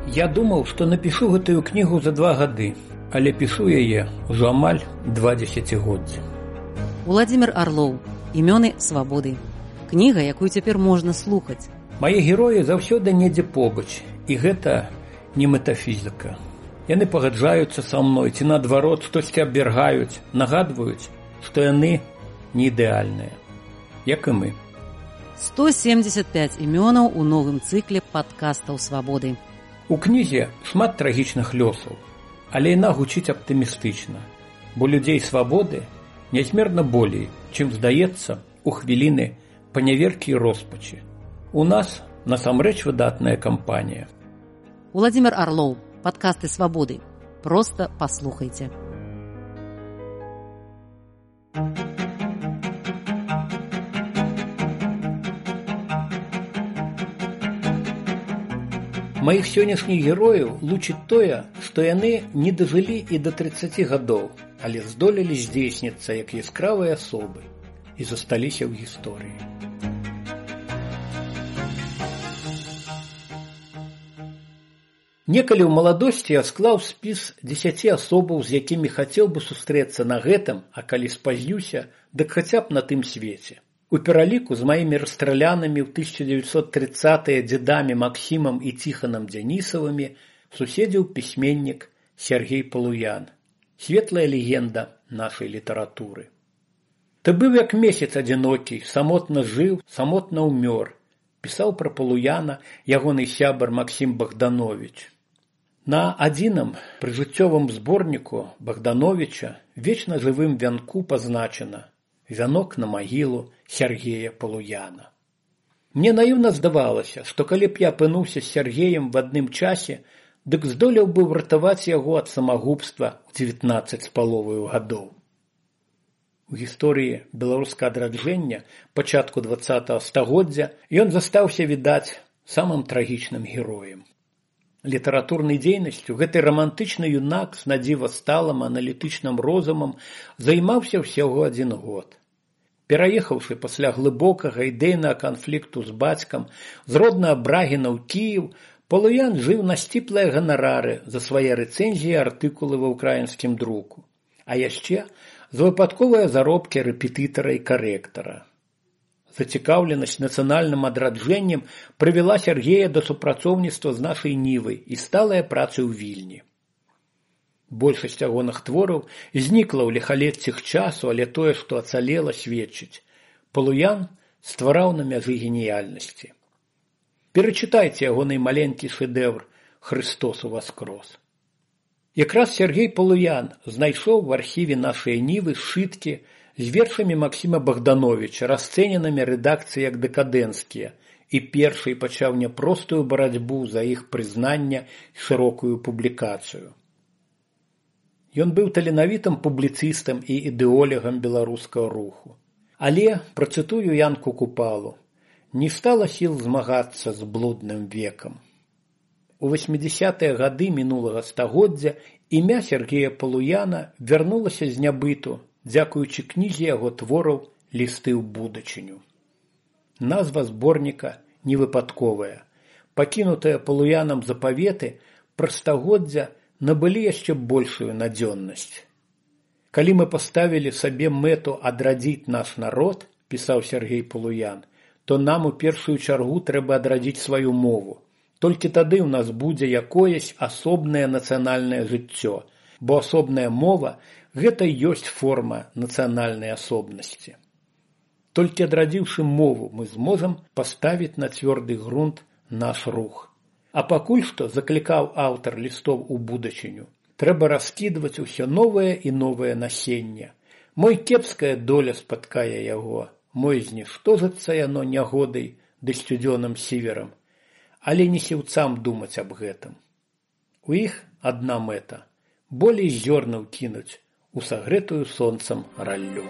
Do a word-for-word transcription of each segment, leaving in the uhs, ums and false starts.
Я думаў, што напішу гэтую кнігу за два гады, але пішу яе ўжо амаль два дзесяцігоддзі. Уладзімір Арлоў. Імёны свабоды. Кніга, якую цяпер можна слухаць. Мае героі заўсёды недзе побач, і гэта не метафізіка. Яны пагаджаюцца са мной, ці наадварот штосьці абвяргаюць, нагадваюць, што яны не ідэальныя, як і мы. сто семьдесят пять імёнаў у новым цыкле падкастаў свабоды. У кнізе шмат трагічных лёсаў, але яна гучыць аптымістычна, бо людзей свабоды нязмерна болей, чым здаецца у хвіліны паняверкі і роспачы. У нас насамрэч выдатная кампанія. Уладзімір Арлоў. Падкасты свабоды. Проста паслухайце. Маіх сённяшніх герояў лучыць тое, што яны не дажылі і да трыццаці гадоў, але здолелі здзейсніцца як яскравыя асобы і засталіся ў гісторыі. Некалі ў маладосці я склаў спіс дзесяці асобаў, з якімі хацеў бы сустрэцца на гэтым, а калі спазнюся, дык хаця б на тым свеце. У пераліку з маімі расстралянымі ў тысяча дзевяцьсот трыццатыя дзедамі Максімам і Ціханам Дзянісавымі суседзіў пісьменнік Сергей Палуян, светлая легенда нашай літаратуры. Ты быў як месяц адзінокі, самотна жыў, самотна ўмёр, пісаў пра Палуяна ягоны сябар Максім Богданович. На адзіным прыжыццёвым зборніку Богдановича вечна жывым вянку пазначана «Вянок на магілу Сергея Палуяна». Мне наіўна здавалася, што калі б я апынуўся з Сергеем в адным часе, дык здолеў бы ўратаваць яго ад самагубства ў дзевятнаццаць з паловаю гадоў. У гісторыі беларускага адраджэння пачатку дваццатага стагоддзя ён застаўся, відаць, самым трагічным героем. Літаратурнай дзейнасцю гэты рамантычны юнак з надзіва сталым аналітычным розумам займаўся ўсяго адзін год. Пераехаўшы пасля глыбокага ідэйнага канфлікту з бацькам з роднага Брагіна ў Кіеў, Палуян жыў на сціплыя ганарары за свае рэцэнзіі і артыкулы ва ўкраінскім друку, а яшчэ за выпадковыя заробкі рэпетытара і карэктара. Зацікаўленасць нацыянальным адраджэннем прывяла Сергея да супрацоўніцтва з нашай Нівай і сталая праца ў Вільні. Большасць ягоных твораў знікла ў ліхалеццях часу, але тое, што ацалела, сведчыць. Палуян ствараў на мяжы геніяльнасці. Перачытайце ягоны маленькі шэдэвр «Христос уваскрос». Якраз Сергей Палуян знайшоў в архіве нашай Нівы сшыткі з вершамі Максіма Богдановича, расцэненымі рэдакцыяй як дэкадэнцкія, і першай пачаў няпростую барацьбу за іх прызнання і шырокую публікацыю. Ён быў таленавітым публіцыстам і ідэолегам беларускага руху. Але, працытую Янку Купалу, не стала сіл змагацца з блудным векам. У васьмідзясятыя гады мінулага стагоддзя імя Сергея Палуяна вярнулася з нябыту, дзякуючы кнізе яго твораў «Лісты ў будучыню». Назва зборніка невыпадковая. Пакінутыя Палуянам запаветы пра стагоддзя набылі яшчэ большую надзённасць. Калі мы паставілі сабе мэту адрадзіць наш народ, пісаў Сергей Палуян, то нам у першую чаргу трэба адрадзіць сваю мову. Толькі тады ў нас будзе якоясь асобнае нацыянальнае жыццё, бо асобная мова – гэта ёсць форма нацыянальнай асобнасці. Толькі адрадзіўшы мову, мы зможам паставіць на цвёрды грунт наш рух. А пакуль што, заклікаў аўтар лістоў у будучыню, трэба раскідваць усё новае і новае насенне. Мой кепская доля спаткае яго, мой зніштожыцца яно нягодай ды сцюдзёным сіверам, але не сіўцам думаць аб гэтым. У іх адна мэта – болей зёрнаў кінуць у сагрэтую сонцам раллю.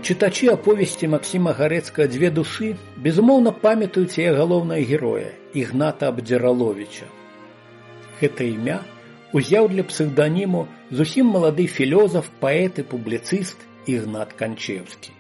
Чытачы аповесці Максіма Гарэцкага «Дзве душы» безумоўна памятаюць яе галоўнага героя Ігната Абдзіраловіча. Гэта імя узяў для псевданіму зусім малады філёзаф, паэт і публіцыст Ігнат Канчеўскі.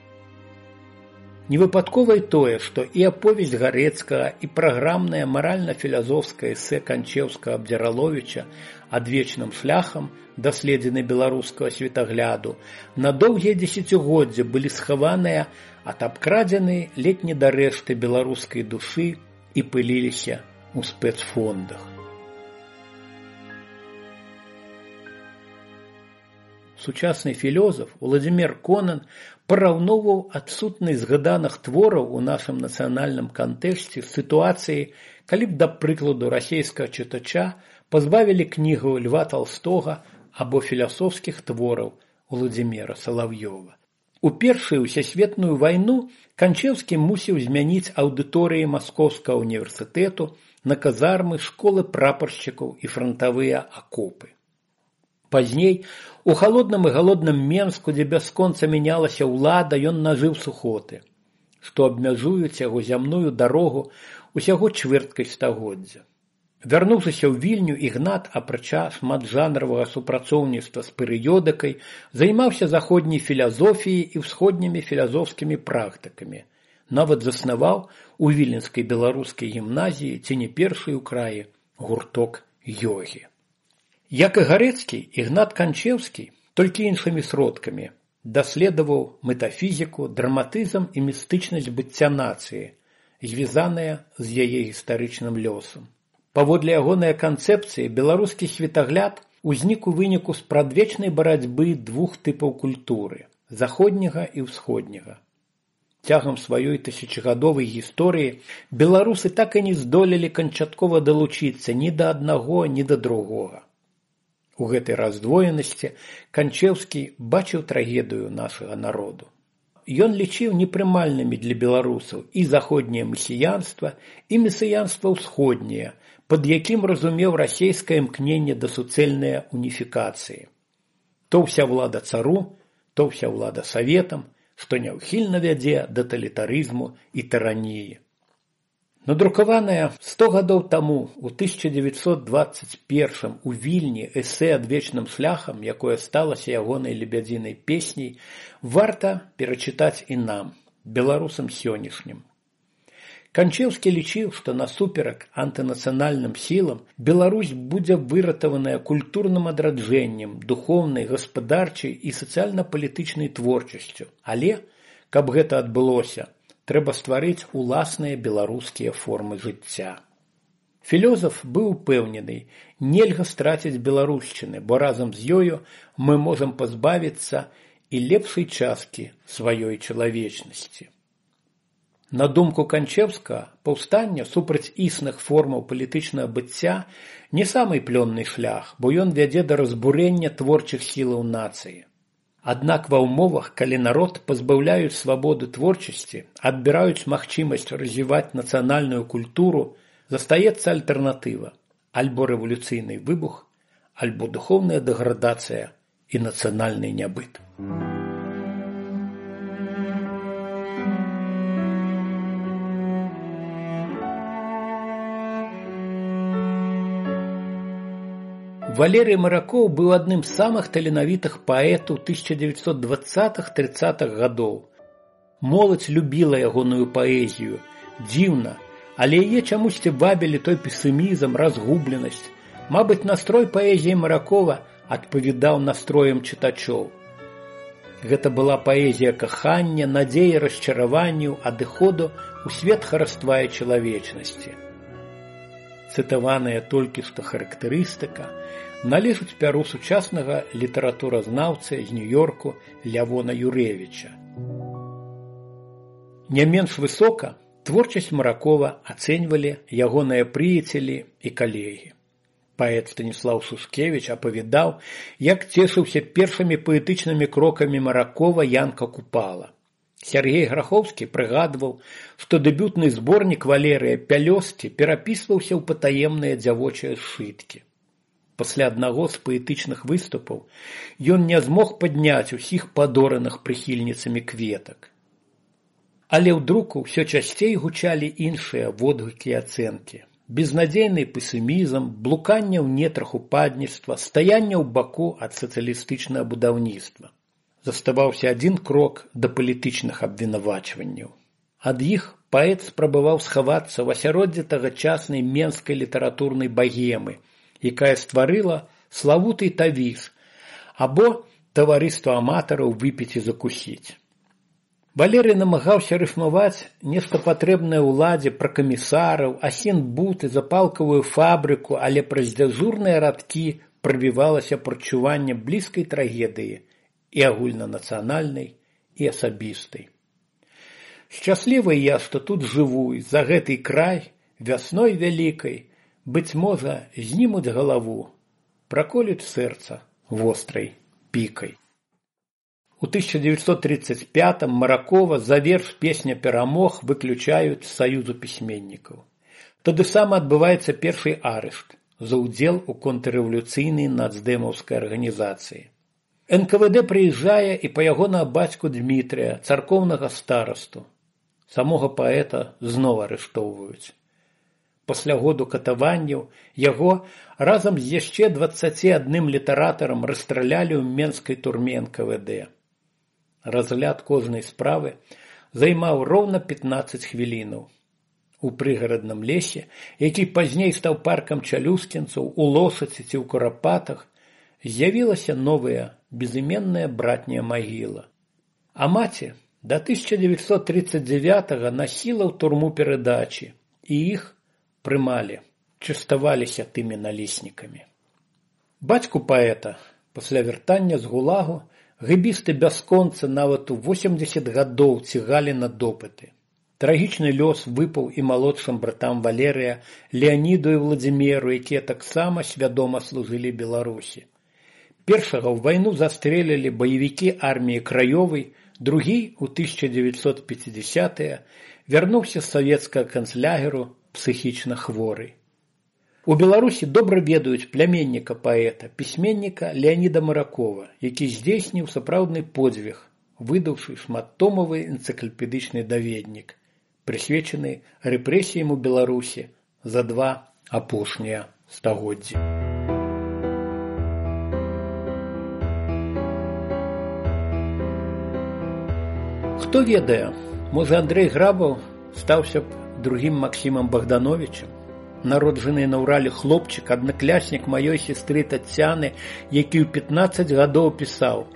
Невыпадкова і тое, што і аповесць Гарэцкага, і праграмнае маральна-філазофскае эсэ Канчеўскага-Абдзіраловіча «Адвечным шляхам. Даследзіны беларускага светагляду» на доўгія дзесяцігоддзі былі схаваныя ад абкрадзены ледзь не да рэшты беларускай душы і пыліліся ў спецфондах. Сучасны філёзаф Уладзімір Конан параўноўваў адсутнасць згаданых твораў у нашым нацыянальным кантэксце з сітуацыяй, калі б, да прыкладу, расейскага чытача пазбавілі кнігу Льва Талстога або філасофскіх твораў Уладзіміра Салаўёва. У першую ўсесветную вайну Канчеўскі мусіў змяніць аўдыторыі Маскоўскага універсітэту на казармы, школы прапаршчыкаў і франтавыя акопы. Пазней, у халодным і галодным Менску, дзе бясконца мянялася ўлада, ён нажыў сухоты, што абмяжуюць яго зямную дарогу усяго чвэрткай стагоддзя. Вярнуўшыся ў Вільню, Ігнат, апрача шматжанравага супрацоўніцтва з перыёдыкай, займаўся заходняй філазофіяй і ўсходнімі філазофскімі практыкамі. Нават заснаваў у Віленскай беларускай гімназіі, ці не першай у краі, гурток ёгі. Як і Гарэцкі, Ігнат Канчеўскі, толькі іншымі сродкамі, даследаваў метафізіку, драматызм і містычнасць быцця нацыі, звязаныя з яе гістарычным лёсам. Паводле ягонай канцэпцыі, беларускі светагляд узнік у выніку спрадвечнай барацьбы двух тыпаў культуры – заходняга і ўсходняга. Цягам сваёй тысячагадовай гісторыі беларусы так і не здолелі канчаткова далучыцца ні да аднаго, ні да другога. У гэтай раздвоенасці Канчеўскі бачыў трагедыю нашага народу. Ён лічыў непрымальнымі для беларусаў і заходняе месіянства, і месіянства ўсходняе, пад якім разумеў расейскае імкненне да суцэльнай уніфікацыі. То ўся ўлада цару, то ўся ўлада саветам, што няўхільна вядзе да талітарызму і тыраніі. Надрукаванае сто гадоў таму, у тысяча дзевяцьсот дваццаць першым у Вільні эсэ «Адвечным шляхам», якое сталася ягонай лебядзінай песняй, варта перачытаць і нам, беларусам сённяшнім. Канчеўскі лічыў, што насуперак антынацыянальным сілам Беларусь будзе выратаваная культурным адраджэннем, духоўнай, гаспадарчай і сацыяльна-палітычнай творчасцю. Але, каб гэта адбылося, трэба стварыць уласныя беларускія формы жыцця. Філёзаф быў упэўнены, нельга страціць беларушчыны, бо разам з ёю мы можам пазбавіцца і лепшай часткі сваёй чалавечнасці. На думку Канчеўскага, паўстанне супраць існых формаў палітычнага быцця не самы плённы шлях, бо ён вядзе да разбурэння творчых сілаў нацыі. Аднак ва ўмовах, калі народ пазбаўляюць свабоды творчасці, адбіраюць магчымасць развіваць нацыянальную культуру, застаецца альтэрнатыва – альбо рэвалюцыйны выбух, альбо духоўная дэградацыя і нацыянальны нябыт. Валерый Маракоў быў адным з самых таленавітых паэтаў тысяча дзевяцьсот дваццатых-трыццатых гадоў. Моладзь любіла ягоную паэзію. Дзіўна, але яе чамусьці вабілі той песімізм, разгубленасць. Мабыць, настрой паэзіі Маракова адпавядаў настроям чытачоў. Гэта была паэзія кахання, надзеі, расчараванняў, адыходу ў свет хараства і чалавечнасці. Цытаваная толькі што характарыстыка належыць пяру сучаснага літаратуразнаўцы з Нью-Йорку Лявона Юрэвіча. Не менш высока творчасць Маракова ацэньвалі ягоныя прыяцелі і калегі. Паэт Станіслаў Сушкевіч апавядаў, як цешыўся першымі паэтычнымі крокамі Маракова Янка Купала. Сергей Грахоўскі прыгадваў, што дэбютны зборнік Валерыя «Пялёсткі» перапісваўся ў патаемныя дзявочыя сшыткі. Пасля аднаго з паэтычных выступаў ён не змог падняць усіх падораных прыхільніцамі кветак. Але ў друку ўсё часцей гучалі іншыя водгукі і ацэнкі. безнадзейны песімізм, блуканне ў нетрах упадніцтва, стаянне ў баку ад сацыялістычнага будаўніцтва. Заставаўся адзін крок да палітычных абвінавачванняў. Ад іх паэт спрабаваў схавацца ў асяроддзі тагачаснай менскай літаратурнай багемы, якая стварыла славуты тавіз або таварыства аматараў выпіць і закусіць. Валерый намагаўся рыфмаваць нешта патрэбнае ўладзе пра камісараў, асін-буты, запалкавую фабрыку, але праз дзяжурныя радкі прабівалася прачуванне блізкай трагедыі і агульнанацыянальнай, і асабістай. Шчаслівы я, што тут жыву, і за гэты край, вясной вялікай, быць можа, знімуць галаву, праколюць сэрца вострай пікай. У тысяча девятьсот тридцать пятом Маракова за верш «Песня перамог» выключаюць з саюзу пісьменнікаў. Тады сам адбываецца першы арышт за ўдзел у контррэвалюцыйнай нацдэмаўскай арганізацыі. эн ка вэ дэ прыязджае і па ягонага бацьку Дмітрыя, царкоўнага старасту. Самога паэта зноў арыштоўваюць. Пасля году катаванняў яго разам з яшчэ дваццаці адным літаратарам расстралялі ў менскай турме эн ка вэ дэ. Разгляд кожнай справы займаў роўна пятнаццаць хвілінаў. У прыгарадным лесе, які пазней стаў паркам чалюскінцаў, у Лошаці ці ў Курапатах, з'явілася новая, безыменная братняя магіла. А маці да тысяча девятьсот тридцать девятого насіла ў турму перадачі, і іх прымалі, частаваліся тымі налеснікамі. Бацьку паэта пасля вяртання з гулагу гэбісты бясконца нават у восемдзесят гадоў цігалі на допыты. Трагічны лёс выпаў і малодшым братам Валерыя, Леаніду і Владзіміру, якія таксама свядома служылі Беларусі. Першага ў вайну застрэлілі баевікі арміі Краёвай, другі у тысяча девятьсот пятидесятые вярнуўся з савецкага канцлягеру псіхічна хворы. У Беларусі добра ведаюць пляменніка паэта, пісьменніка Леаніда Маракова, які здзейсніў сапраўдны подзвіг, выдаўшы шматтомавы энцыклапедычны даведнік, прысвечаны рэпрэсіям у Беларусі за два апошнія стагоддзі. Хто ведае, можа Андрэй Грабаў стаўся б другім Максімам Богдановичем, народжаны на Урале хлопчык, аднакляснік маёй сестры Тацяны, які ў пятнаццаць гадоў пісаў: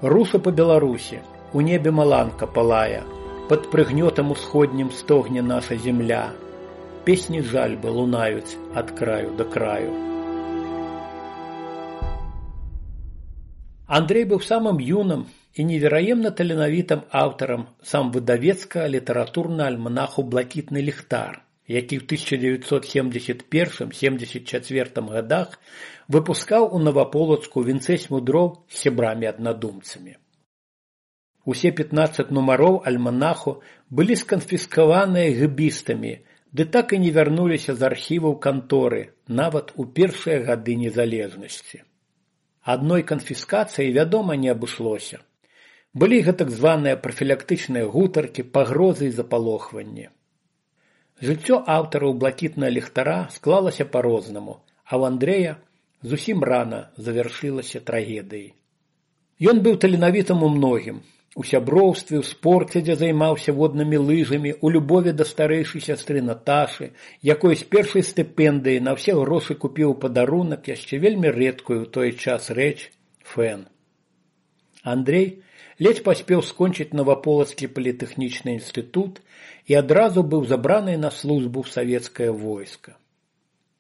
«Руса па Беларусі, у небе маланка палая, пад прыгнётам усходнім стогне наша земля, песні жальбы лунаюць ад краю да краю». Андрэй быў самым юным і невераемна таленавітым аўтарам сам выдавецкага літаратурнага альманаху «Блакітны ліхтар», які ў тысяча девятьсот семьдесят первом — семьдесят четвёртом годах выпускаў у Новополоцку вінцэць мудроў з сябрамі-аднадумцамі. Усе пятнаццаць нумароў альманаху былі сканфіскаваныя гэбістамі, ды так і не вярнуліся з архіваў канторы, нават у першыя гады незалежнасці. Адной канфіскацыі, вядома, не абышлося. Былі гэтак званыя прафілактычныя гутаркі, пагрозы і запалохванні. Жыццё аўтараў «Блакітнага ліхтара» склалася па-рознаму, а ў Андрэя зусім рана завяршылася трагедыяй. Ён быў таленавітым у многім. У сяброўстве, у спорце, дзе займаўся воднымі лыжамі, у любові да старэйшай сястры Наташы, якой з першай стыпендыі на ўсе грошы купіў падарунак яшчэ вельмі рэдкую ў той час рэч – фэн. Андрэй ледзь паспеў скончыць Новополацкі політэхнічны інстытут і адразу быў забраны на службу ў савецкае войска.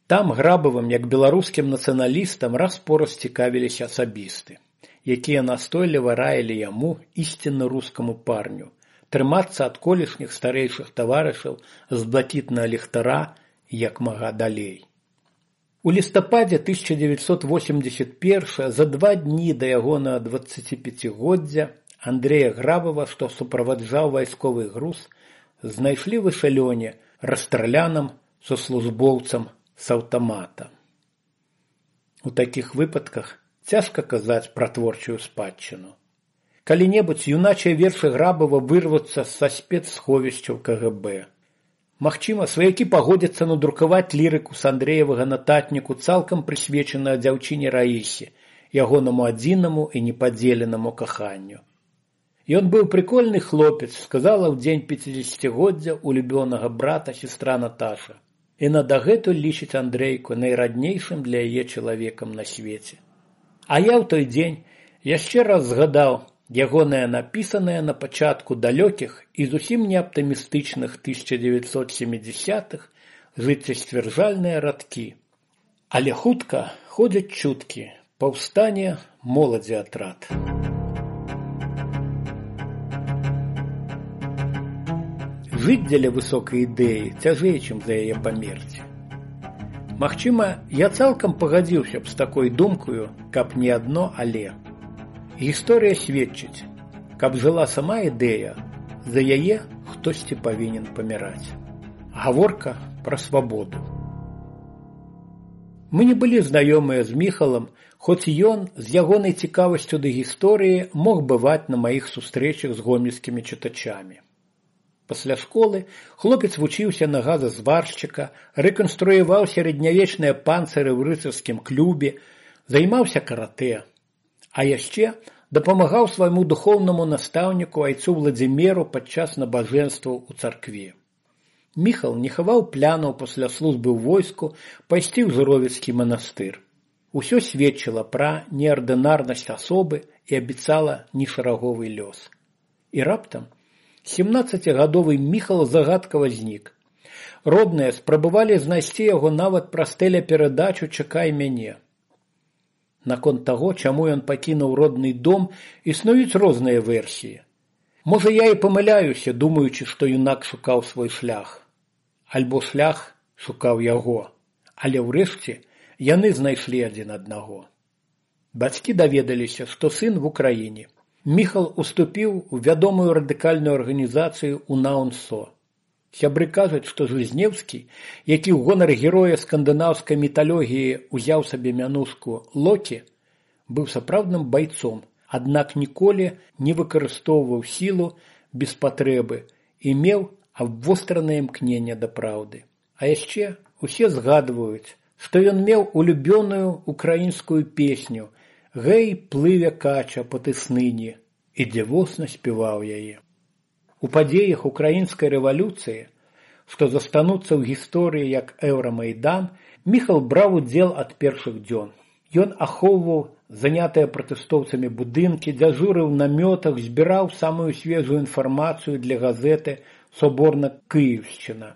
Там Грабавым, як беларускім нацыяналістам, раз-пораз цікавіліся асабісты, якія настойліва раілі яму, ісцінна рускаму парню, трымацца ад колішніх старэйшых таварышаў з «Блакітнага ліхтара» як мага далей. У лістападзе тысяча девятьсот восемьдесят первого, за два дні да ягонага дваццаціпяцігоддзя, Андрэя Грабава, што суправаджаў вайсковы груз, знайшлі в эшалёне, расстраляным сослужбоўцам з аўтамата. У такіх выпадках цяжка казаць пра творчую спадчыну. Калі-небудзь юначыя вершы Грабава вырвуцца са спецсховішчаў ка гэ бэ. Магчыма, сваякі пагодзяцца надрукаваць лірыку з Андрэевага нататніку, цалкам прысвечаную дзяўчыне Раісе, ягонаму адзінаму і непадзеленаму каханню. Ён быў прыкольны хлопец, сказала ў дзень пяцідзесяцігоддзя улюбёнага брата сестра Наташа. Яна дагэтуль лічыць Андрэйку найраднейшым для яе чалавекам на свеце. А я ў той дзень яшчэ раз згадаў ягонае напісанае на пачатку далёкіх і зусім не аптымістычных тысяча дзевяцьсот сямідзясятых жыццесцвярджальныя радкі. Але хутка ходзяць чуткі, паўстане моладзі атрад. Жыць дзеля высокай ідэі цяжэй, чым за яе памерці. Магчыма, я цалкам пагадзіўся б з такой думкаю, каб не адно але. Гісторыя сведчыць, каб жыла сама ідэя, за яе хтосьці павінен паміраць. Гаворка пра свабоду. Мы не былі знаёмыя з Міхалам, хоць ён з ягонай цікавасцю да гісторыі мог бываць на маіх сустрэчах з гомельскімі чытачамі. Пасля школы хлопец вучыўся на газазваршчыка, рэканструяваў сярэднявечныя панцыры ў рыцарскім клубе, займаўся каратэ. А яшчэ дапамагаў свайму духоўнаму настаўніку айцу Владзімеру падчас набажэнстваў у царкве. Міхал не хаваў плянаў пасля службы ў войску пайсці ў Жыровіцкі манастыр. Усё сведчыла пра неардынарнасць асобы і абяцала нешараговы лёс. І раптам семнаццацігадовы Міхал загадкава знік. Родныя спрабавалі знайсці яго нават праз тэлеперадачу «Чакай мяне». Наконт таго, чаму ён пакінуў родны дом, існуюць розныя версіі. Можа, я і памыляюся, думаючы, што юнак шукаў свой шлях. Альбо шлях шукаў яго. Але ўрэшце яны знайшлі адзін аднаго. Бацькі даведаліся, што сын в Украіне. Міхал уступіў у вядомую радыкальную арганізацыю УНАУНСО. Сябры кажуць, што Жизнеўскі, які ў гонар героя скандынаўскай міталогіі узяў сабе мянушку Локі, быў сапраўдным байцом, аднак ніколі не выкарыстоўваў сілу без патрэбы і меў абвостранае імкненне да праўды. А яшчэ усе згадваюць, што ён меў улюбёную украінскую песню «Гэй, плыве кача па тысныні» і дзівосна спяваў яе. У падзеях украінскай рэвалюцыі, што застануцца ў гісторыі як Еўрамайдан, Міхал браў удзел ад першых дзён. Ён ахоўваў занятыя пратэстоўцамі будынкі, дзяжурыў на намётах, збіраў самую свежую інфармацыю для газеты «Соборна-Київщина».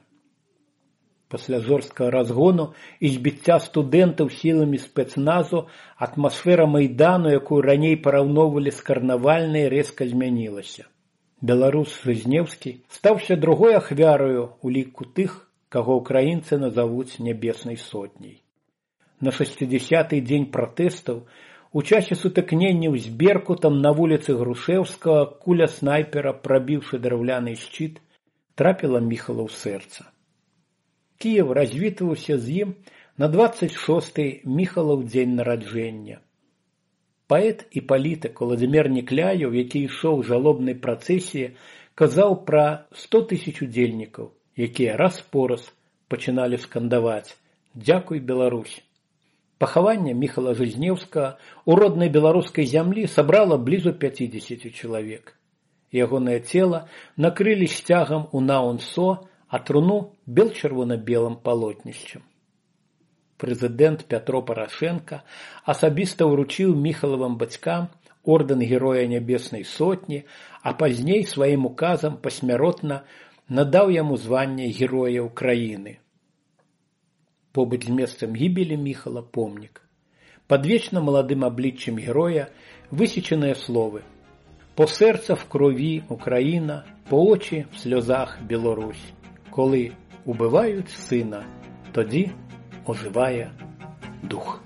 Пасля жорсткага разгону і збіцця студэнтаў сіламі спецназу атмасфера Майдану, якую раней параўноўвалі з карнавальнай, рэзка змянілася. Беларус Жизнеўскі стаўся другой ахвяраю у ліку тых, каго ўкраінцы назавуць нябеснай сотняй. На шэсцідзясяты дзень пратэстаў у часе сутыкненняў з Беркутам на вуліцы Грушэўскага куля снайпера, прабіўшы драўляны шчыт, трапіла Міхала ў сэрца. Кіев развітваўся з ім на дваццаць шосты Міхалаў дзень нараджэння. Паэт і палітык Уладзімір Некляеў, які ішоў у жалобнай працэсіі, казаў пра сто тысяч удзельнікаў, якія раз-пораз пачыналі скандаваць «Дзякуй, Беларусь». Пахаванне Міхала Жизнеўскага у роднай беларускай зямлі сабрала блізу пяцідзесяці чалавек. Ягонае цела накрылі сцягам УНАУНСО, а труну бел-чырвона-белым палотнішчам. Прэзідэнт Пятро Парашенка асабіста ўручыў Міхалавым бацькам ордэн Героя Нябеснай Сотні, а пазней сваім указам пасмяротна надаў яму званне Героя Ўкраіны. Побач з месцам гібелі Міхала помнік. Пад вечна маладым абліччем героя высечаныя словы: «По серце в крові Україна, по очі в сльозах Білорусь. Коли убивають сина, тоді оживає дух».